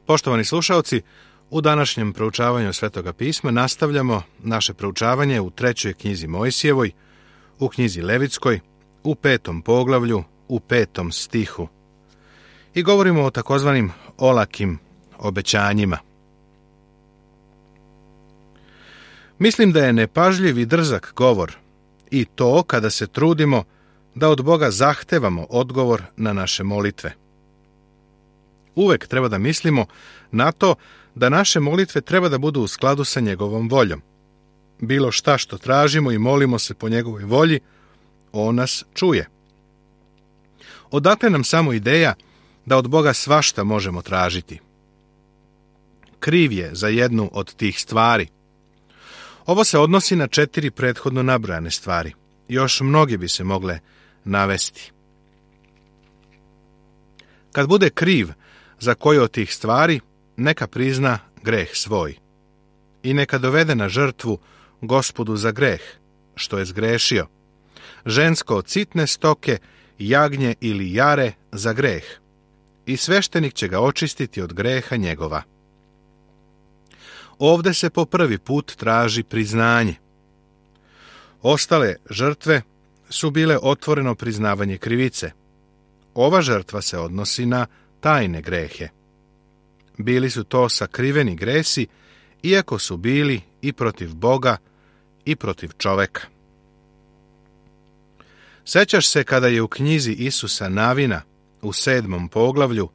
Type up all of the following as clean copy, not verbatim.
Poštovani slušaoci, u današnjem proučavanju Svetoga pisma nastavljamo naše proučavanje u 3. knjizi Mojsijevoj, u knjizi Levitskoj, u 5. poglavlju, u 5. stihu. I govorimo o takozvanim olakim obećanjima. Mislim da je nepažljiv i drzak govor, i to kada se trudimo da od Boga zahtevamo odgovor na naše molitve. Uvek treba da mislimo na to da naše molitve treba da budu u skladu sa njegovom voljom. Bilo šta što tražimo i molimo se po njegovoj volji, on nas čuje. Odakle nam samo ideja da od Boga svašta možemo tražiti? Kriv je za jednu od tih stvari. Ovo se odnosi na 4 prethodno nabrojane stvari. Još mnogi bi se mogle navesti. Kad bude kriv za koju od tih stvari, neka prizna greh svoj i neka dovede na žrtvu Gospodu za greh, što je zgrešio, žensko od sitne stoke, jagnje ili jare za greh, i sveštenik će ga očistiti od greha njegova. Ovde se po prvi put traži priznanje. Ostale žrtve su bile otvoreno priznavanje krivice. Ova žrtva se odnosi na tajne grehe. Bili su to sakriveni gresi, iako su bili i protiv Boga i protiv čoveka. Sećaš se kada je u knjizi Isusa Navina u 7. poglavlju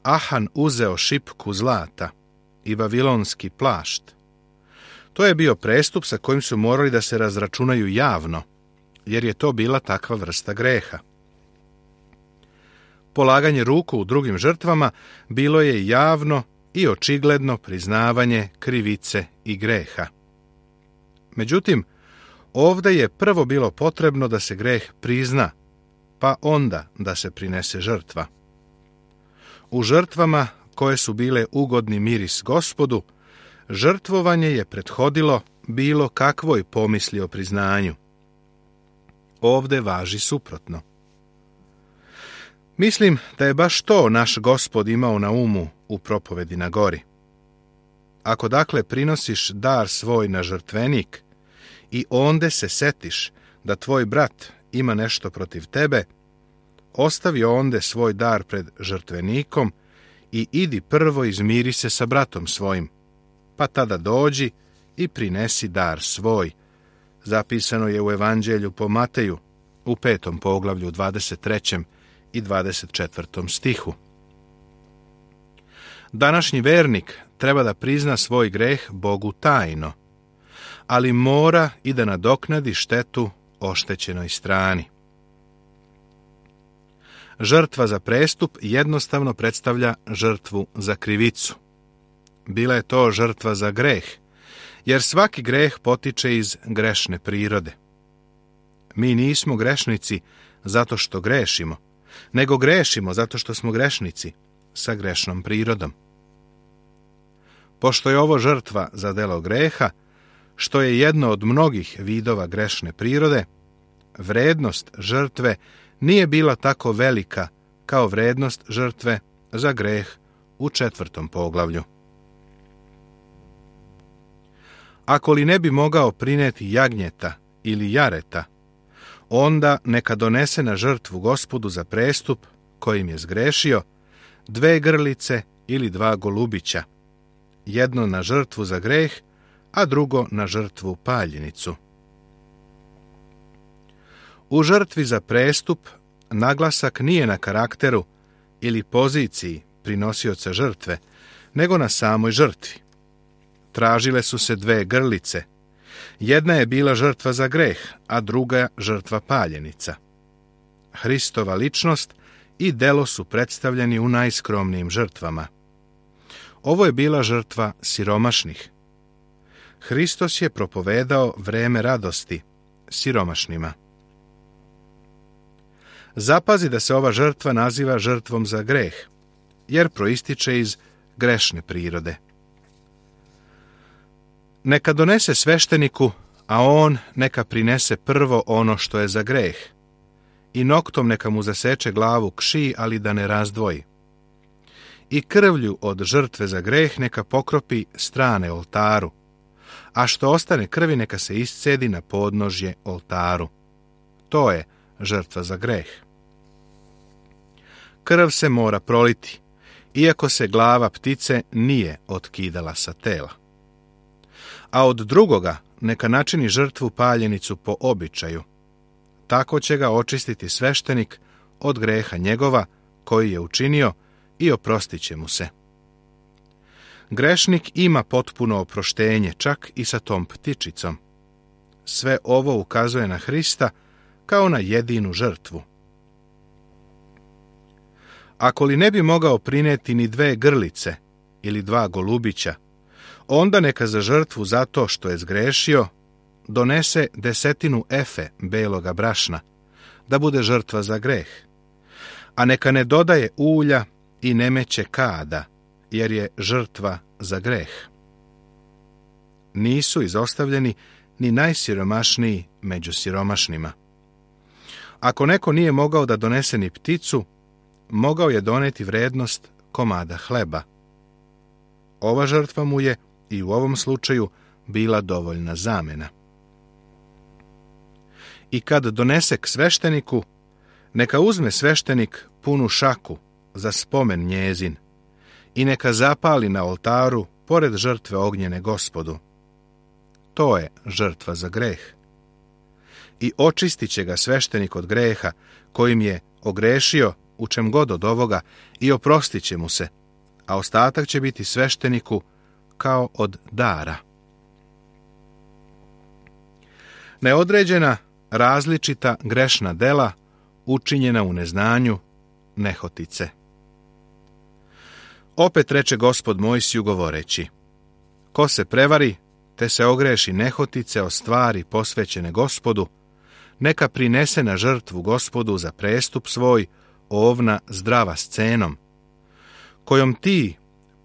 Ahan uzeo šipku zlata i vavilonski plašt. To je bio prestup sa kojim su morali da se razračunaju javno, jer je to bila takva vrsta greha. Polaganje ruku u drugim žrtvama bilo je javno i očigledno priznavanje krivice i greha. Međutim, ovde je prvo bilo potrebno da se greh prizna, pa onda da se prinese žrtva. U žrtvama koje su bile ugodni miris Gospodu, žrtvovanje je prethodilo bilo kakvoj pomisli o priznanju. Ovde važi suprotno. Mislim da je baš to naš Gospod imao na umu u propovedi na gori. Ako dakle prinosiš dar svoj na žrtvenik i onde se setiš da tvoj brat ima nešto protiv tebe, ostavi onde svoj dar pred žrtvenikom i idi prvo izmiri se sa bratom svojim, pa tada dođi i prinesi dar svoj. Zapisano je u Evanđelju po Mateju u 5. poglavlju 23. i 24. stihu. Današnji vernik treba da prizna svoj greh Bogu tajno, ali mora i da nadoknadi štetu oštećenoj strani. Žrtva za prestup jednostavno predstavlja žrtvu za krivicu. Bila je to žrtva za greh, jer svaki greh potiče iz grešne prirode. Mi nismo grešnici zato što grešimo, nego grešimo zato što smo grešnici sa grešnom prirodom. Pošto je ovo žrtva za delo greha, što je jedno od mnogih vidova grešne prirode, vrednost žrtve nije bila tako velika kao vrednost žrtve za greh u 4. poglavlju. Ako li ne bi mogao prineti jagnjeta ili jareta, onda neka donese na žrtvu Gospodu za prestup kojim je zgrešio 2 grlice ili 2 golubića, jedno na žrtvu za greh, a drugo na žrtvu paljenicu. U žrtvi za prestup naglasak nije na karakteru ili poziciji prinosioca žrtve, nego na samoj žrtvi. Tražile su se 2 grlice. Jedna je bila žrtva za greh, a druga žrtva paljenica. Hristova ličnost i delo su predstavljeni u najskromnijim žrtvama. Ovo je bila žrtva siromašnih. Hristos je propovedao vreme radosti siromašnima. Zapazi da se ova žrtva naziva žrtvom za greh, jer proističe iz grešne prirode. Neka donese svešteniku, a on neka prinese prvo ono što je za greh, i noktom neka mu zaseče glavu kši, ali da ne razdvoji. i krvlju od žrtve za greh neka pokropi strane oltaru, a što ostane krvi neka se iscedi na podnožje oltaru. To je žrtva za greh. Krv se mora proliti, iako se glava ptice nije otkidala sa tela. A od drugoga neka načini žrtvu paljenicu po običaju. Tako će ga očistiti sveštenik od greha njegova koji je učinio i oprostit će mu se. Grešnik ima potpuno oproštenje, čak i sa tom ptičicom. Sve ovo ukazuje na Hrista kao na jedinu žrtvu. Ako li ne bi mogao prineti ni 2 grlice ili 2 golubića, onda neka za žrtvu zato što je zgrešio donese 10 efe beloga brašna, da bude žrtva za greh, a neka ne dodaje ulja i ne meće kada, jer je žrtva za greh. Nisu izostavljeni ni najsiromašniji među siromašnima. Ako neko nije mogao da donese ni pticu, mogao je doneti vrednost komada hleba. Ova žrtva mu je i u ovom slučaju bila dovoljna zamena. I kad donese k svešteniku, neka uzme sveštenik punu šaku za spomen njezin i neka zapali na oltaru pored žrtve ognjene Gospodu. To je žrtva za greh. I očistit će ga sveštenik od greha kojim je ogrešio u čem god od ovoga i oprostit će mu se, a ostatak će biti svešteniku kao od dara. Neodređena, različita grešna dela učinjena u neznanju, nehotice. Opet reče Gospod Mojsiju govoreći: ko se prevari, te se ogreši nehotice o stvari posvećene Gospodu, neka prinese na žrtvu Gospodu za prestup svoj ovna zdrava s cenom, kojom ti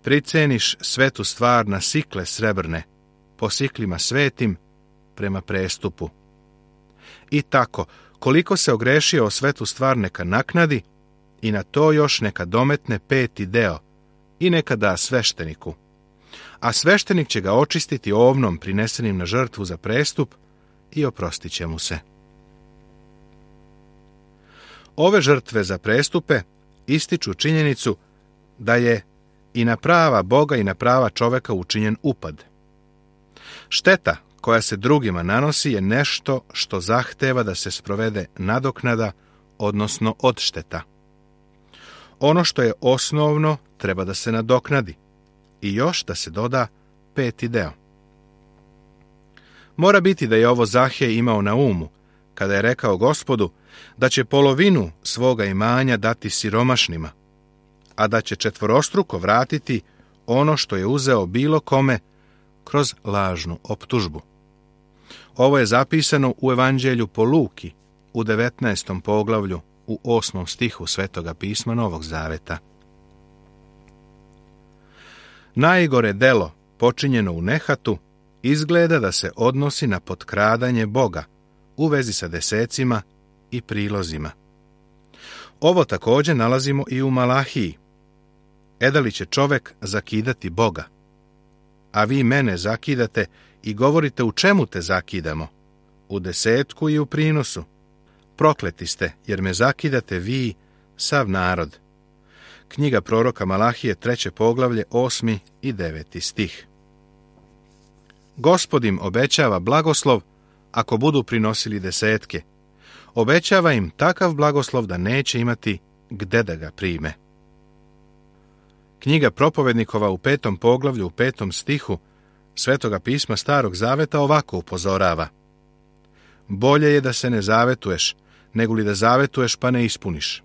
priceniš svetu stvar na sikle srebrne, po siklima svetim prema prestupu. I tako, koliko se ogrešio o svetu stvar neka naknadi i na to još neka dometne 5. deo i neka da svešteniku. A sveštenik će ga očistiti ovnom prinesenim na žrtvu za prestup i oprostit će mu se. Ove žrtve za prestupe ističu činjenicu da je i na prava Boga i na prava čoveka učinjen upad. Šteta koja se drugima nanosi je nešto što zahteva da se sprovede nadoknada, odnosno odšteta. Ono što je osnovno treba da se nadoknadi i još da se doda 5. deo. Mora biti da je ovo Zahej imao na umu kada je rekao Gospodu da će polovinu svoga imanja dati siromašnima, a da će 4 vratiti ono što je uzeo bilo kome kroz lažnu optužbu. Ovo je zapisano u Evanđelju po Luki u 19. poglavlju u 8. stihu Svetoga pisma Novog Zaveta. Najgore delo počinjeno u nehatu izgleda da se odnosi na potkradanje Boga u vezi sa desecima i prilozima. Ovo također nalazimo i u Malahiji. Edali će čovek zakidati Boga, a vi mene zakidate i govorite u čemu te zakidamo, u desetku i u prinosu. Prokleti ste, jer me zakidate vi, sav narod. Knjiga proroka Malahije, 3. poglavlje, 8. i 9. stih. Gospod im obećava blagoslov ako budu prinosili desetke. Obećava im takav blagoslov da neće imati gde da ga prime. Knjiga propovednikova u 5. poglavlju u 5. stihu Svetoga pisma Starog Zaveta ovako upozorava: bolje je da se ne zavetuješ, nego li da zavetuješ pa ne ispuniš.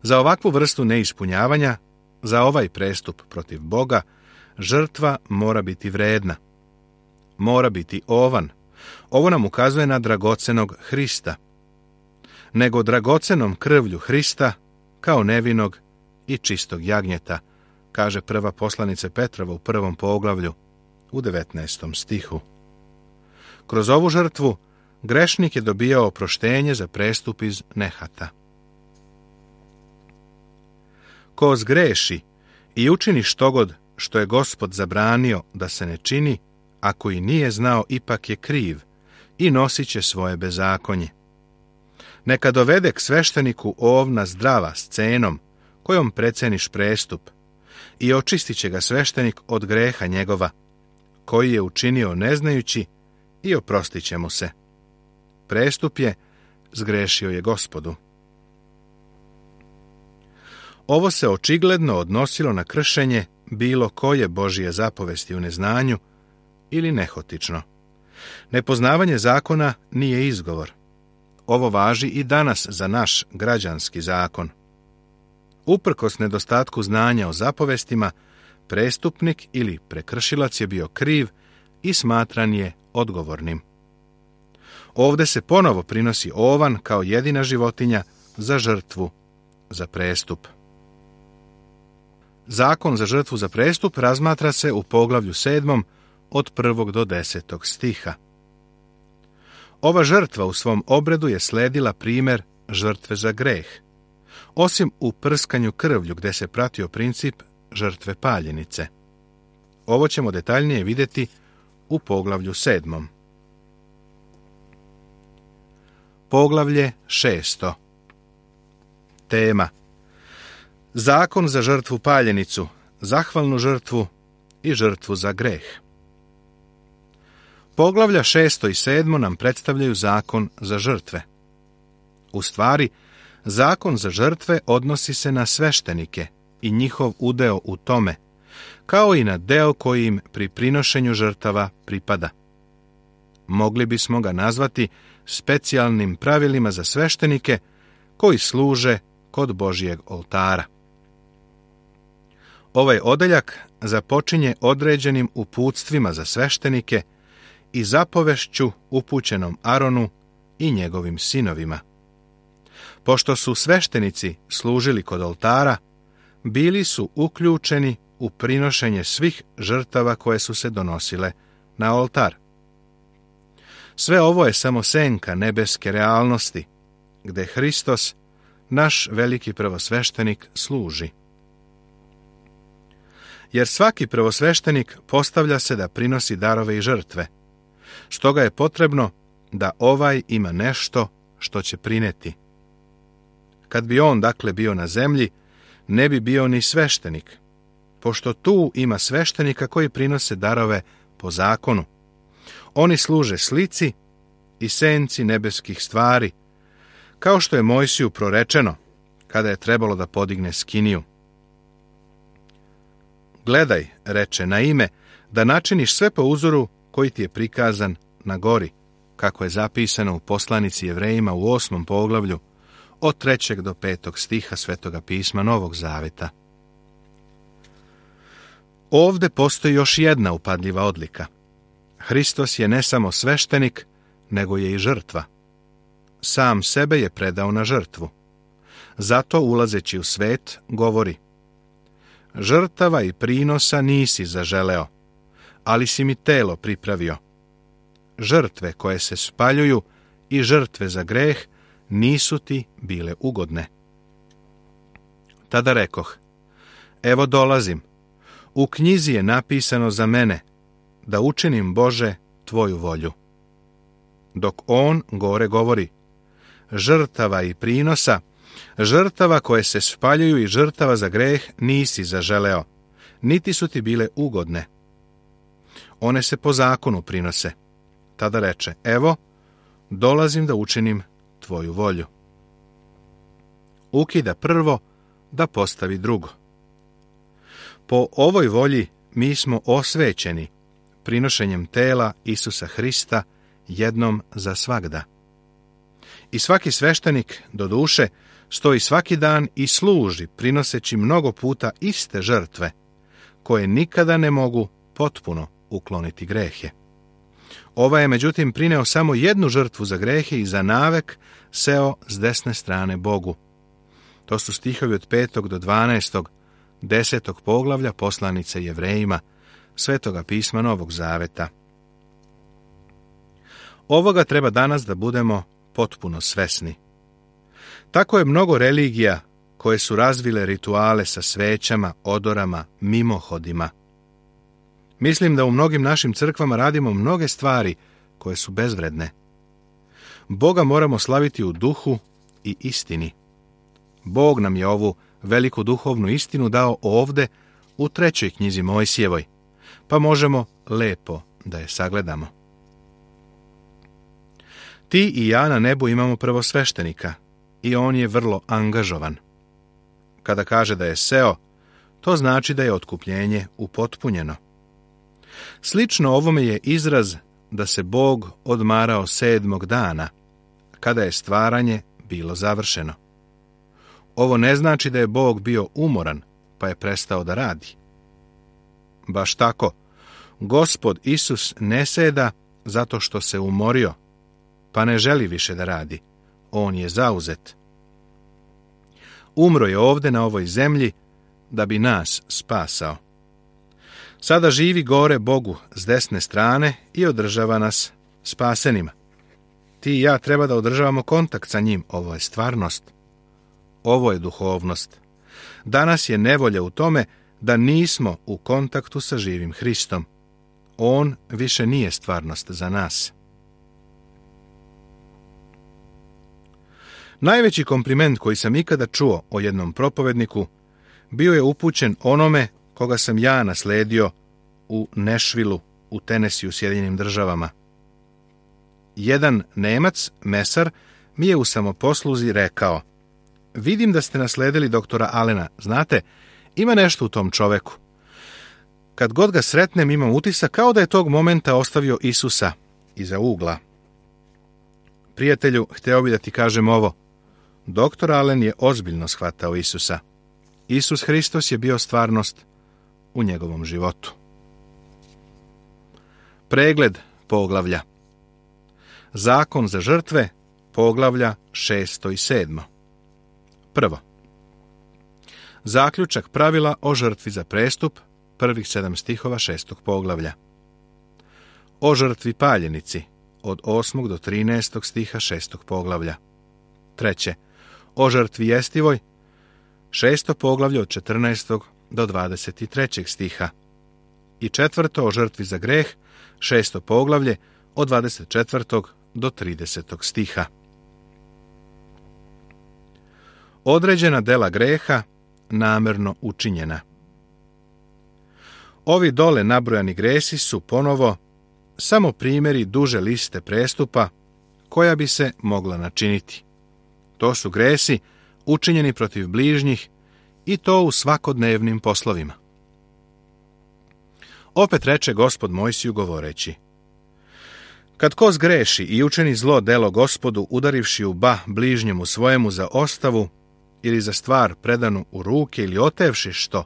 Za ovakvu vrstu neispunjavanja, za ovaj prestup protiv Boga, žrtva mora biti vredna. Mora biti ovan. Ovo nam ukazuje na dragocenog Hrista. Nego dragocenom krvlju Hrista, kao nevinog i čistog jagnjeta, kaže prva poslanica Petrova u 1. poglavlju u 19. stihu. Kroz ovu žrtvu grešnik je dobijao oproštenje za prestup iz nehata. Ko zgreši i učini štogod što je Gospod zabranio da se ne čini, ako i nije znao, ipak je kriv i nosit će svoje bezakonje. Neka dovede k svešteniku ovna zdrava s cenom, kojom preceniš prestup, i očistit će ga sveštenik od greha njegova, koji je učinio ne znajući, i oprostit će mu se. Prestup je, zgrešio je Gospodu. Ovo se očigledno odnosilo na kršenje bilo koje Božje zapovesti u neznanju ili nehotično. Nepoznavanje zakona nije izgovor. Ovo važi i danas za naš građanski zakon. Uprkos nedostatku znanja o zapovestima, prestupnik ili prekršilac je bio kriv i smatran je odgovornim. Ovdje se ponovo prinosi ovan kao jedina životinja za žrtvu za prestup. Zakon za žrtvu za prestup razmatra se u poglavlju 7. od 1. do 10. stiha. Ova žrtva u svom obredu je sledila primjer žrtve za greh, osim u prskanju krvlju gdje se pratio princip žrtve paljenice. Ovo ćemo detaljnije vidjeti u poglavlju 7. Poglavlje 6. Tema: zakon za žrtvu paljenicu, zahvalnu žrtvu i žrtvu za greh. Poglavlja 6. i 7. nam predstavljaju zakon za žrtve. U stvari, zakon za žrtve odnosi se na sveštenike i njihov udeo u tome, kao i na deo koji im pri prinošenju žrtava pripada. Mogli bismo ga nazvati specijalnim pravilima za sveštenike koji služe kod Božjeg oltara. Ovaj odeljak započinje određenim uputstvima za sveštenike i zapovešću upućenom Aronu i njegovim sinovima. Pošto su sveštenici služili kod oltara, bili su uključeni u prinošenje svih žrtava koje su se donosile na oltar. Sve ovo je samo senka nebeske realnosti, gde Hristos, naš veliki prvosveštenik, služi. Jer svaki prvosveštenik postavlja se da prinosi darove i žrtve, stoga je potrebno da ovaj ima nešto što će prineti. Kad bi on, dakle, bio na zemlji, ne bi bio ni sveštenik, pošto tu ima sveštenika koji prinose darove po zakonu. Oni služe slici i senci nebeskih stvari, kao što je Mojsiju prorečeno, kada je trebalo da podigne skiniju. Gledaj, reče, na ime, da načiniš sve po uzoru koji ti je prikazan na gori, kako je zapisano u poslanici Jevrejima u 8. poglavlju, od 3. do 5. stiha Svetoga pisma Novog Zaveta. Ovde postoji još jedna upadljiva odlika. Hristos je ne samo sveštenik, nego je i žrtva. Sam sebe je predao na žrtvu. Zato, ulazeći u svet, govori: žrtava i prinosa nisi zaželeo, ali si mi telo pripravio. Žrtve koje se spaljuju i žrtve za greh nisu ti bile ugodne. Tada rekoh: evo dolazim, u knjizi je napisano za mene, da učinim, Bože, tvoju volju. Dok on gore govori: žrtava i prinosa, žrtava koje se spaljuju i žrtava za greh nisi zaželeo, niti su ti bile ugodne. One se po zakonu prinose. Tada reče: evo, dolazim da učinim tvoju volju. Ukida prvo da postavi drugo. Po ovoj volji mi smo osvećeni prinošenjem tela Isusa Hrista jednom za svagda. I svaki sveštenik, doduše, stoji svaki dan i služi, prinoseći mnogo puta iste žrtve, koje nikada ne mogu potpuno ukloniti grehe. Ovaj je, međutim, prineo samo jednu žrtvu za grehe i za navek seo s desne strane Bogu. To su stihovi od 5. do 12. 10. poglavlja poslanice Jevrejima, Svetoga pisma Novog Zaveta. Ovoga treba danas da budemo potpuno svesni. Tako je mnogo religija koje su razvile rituale sa svećama, odorama, mimohodima. Mislim da u mnogim našim crkvama radimo mnoge stvari koje su bezvredne. Boga moramo slaviti u duhu i istini. Bog nam je ovu veliku duhovnu istinu dao ovde u 3. knjizi Mojsijevoj, pa možemo lepo da je sagledamo. Ti i ja na nebu imamo prvosveštenika i on je vrlo angažovan. Kada kaže da je seo, to znači da je otkupljenje upotpunjeno. Slično ovome je izraz da se Bog odmarao 7. dana, kada je stvaranje bilo završeno. Ovo ne znači da je Bog bio umoran, pa je prestao da radi. Baš tako, Gospod Isus ne seda zato što se umorio, pa ne želi više da radi. On je zauzet. Umro je ovde na ovoj zemlji da bi nas spasao. Sada živi gore Bogu s desne strane i održava nas spasenima. Ti i ja treba da održavamo kontakt sa njim. Ovo je stvarnost. Ovo je duhovnost. Danas je nevolja u tome da nismo u kontaktu sa živim Hristom. On više nije stvarnost za nas. Najveći kompliment koji sam ikada čuo o jednom propovedniku bio je upućen onome koga sam ja nasledio u Nashvilleu u Tennesseeu, Sjedinjenim Državama. Jedan Nemac, mesar, mi je u samoposluzi rekao: vidim da ste nasledili doktora Allena. Znate, ima nešto u tom čoveku. Kad god ga sretnem, imam utisak kao da je tog momenta ostavio Isusa iza ugla. Prijatelju, hteo bi da ti kažem ovo. Doktor Allen je ozbiljno shvatao Isusa. Isus Hristos je bio stvarnost u njegovom životu. Pregled poglavlja. Zakon za žrtve, poglavlja 6. i 7. Prvo. Zaključak pravila o žrtvi za prestup, prvih 7 stihova 6. poglavlja. O žrtvi paljenici, od 8. do 13. stiha 6. poglavlja. Treće. O žrtvi jestivoj, 6. poglavlje od 14. do 23. stiha. I četvrto, o žrtvi za greh, 6. poglavlje od 24. do 30. stiha. Određena dela greha namerno učinjena. Ovi dole nabrojani gresi su ponovo samo primjeri duže liste prestupa koja bi se mogla načiniti. To su gresi učinjeni protiv bližnjih i to u svakodnevnim poslovima. Opet reče Gospod Mojsiju govoreći: kad ko zgreši i učini zlo delo Gospodu, udarivši u bližnjemu svojemu za ostavu ili za stvar predanu u ruke, ili otevši što,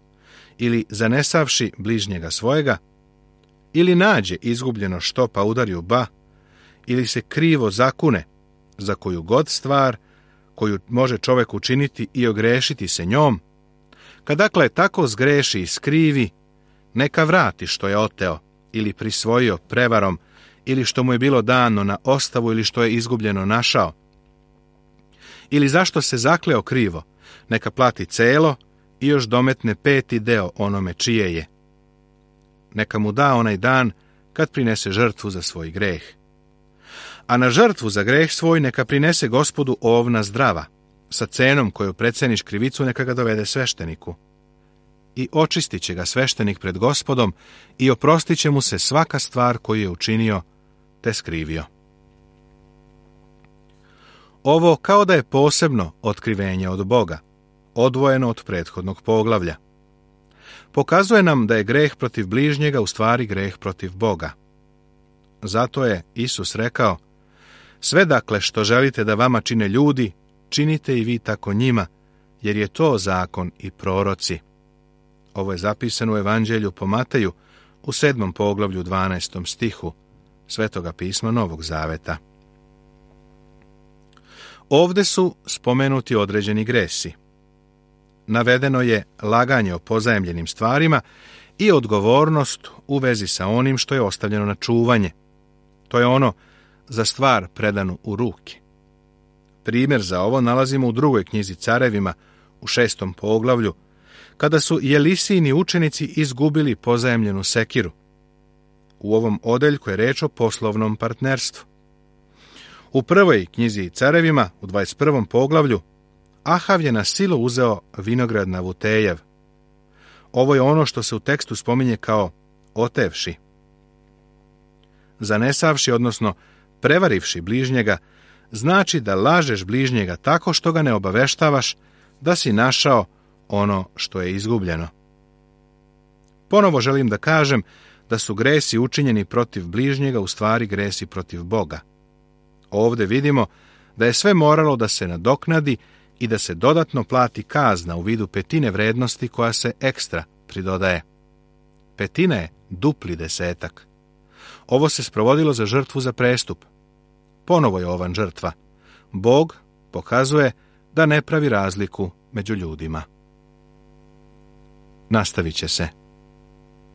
ili zanesavši bližnjega svojega, ili nađe izgubljeno što pa udari u ili se krivo zakune za koju god stvar koju može čovjek učiniti i ogrešiti se njom, kad dakle tako zgreši i skrivi, neka vrati što je oteo ili prisvojio prevarom, ili što mu je bilo dano na ostavu, ili što je izgubljeno našao. Ili zašto se zakleo krivo, neka plati celo i još dometne 5. deo onome čije je. Neka mu da onaj dan kad prinese žrtvu za svoj greh. A na žrtvu za greh svoj neka prinese Gospodu ovna zdrava, sa cenom koju preceniš krivicu, neka ga dovede svešteniku. I očistit će ga sveštenik pred Gospodom i oprostit će mu se svaka stvar koju je učinio te skrivio. Ovo kao da je posebno otkrivenje od Boga, odvojeno od prethodnog poglavlja. Pokazuje nam da je greh protiv bližnjega u stvari greh protiv Boga. Zato je Isus rekao: sve dakle što želite da vama čine ljudi, činite i vi tako njima, jer je to zakon i proroci. Ovo je zapisano u Evanđelju po Mateju u 7. poglavlju 12. stihu Svetoga pisma Novog Zaveta. Ovde su spomenuti određeni gresi. Navedeno je laganje o pozajemljenim stvarima i odgovornost u vezi sa onim što je ostavljeno na čuvanje. To je ono za stvar predanu u ruke. Primjer za ovo nalazimo u 2. knjizi Carevima u 6. poglavlju, kada su Jelisini učenici izgubili pozajemljenu sekiru. U ovom odeljku je reč o poslovnom partnerstvu. U prvoj knjizi Carevima, u 21. poglavlju, Ahav je na silu uzeo vinograd Navutejev. Ovo je ono što se u tekstu spominje kao otevši. Zanesavši, odnosno prevarivši bližnjega, znači da lažeš bližnjega tako što ga ne obaveštavaš da si našao ono što je izgubljeno. Ponovo želim da kažem da su gresi učinjeni protiv bližnjega u stvari gresi protiv Boga. Ovdje vidimo da je sve moralo da se nadoknadi i da se dodatno plati kazna u vidu petine vrednosti koja se ekstra pridodaje. Petina je dupli desetak. Ovo se sprovodilo za žrtvu za prestup. Ponovo je ovan žrtva. Bog pokazuje da ne pravi razliku među ljudima. Nastavit će se.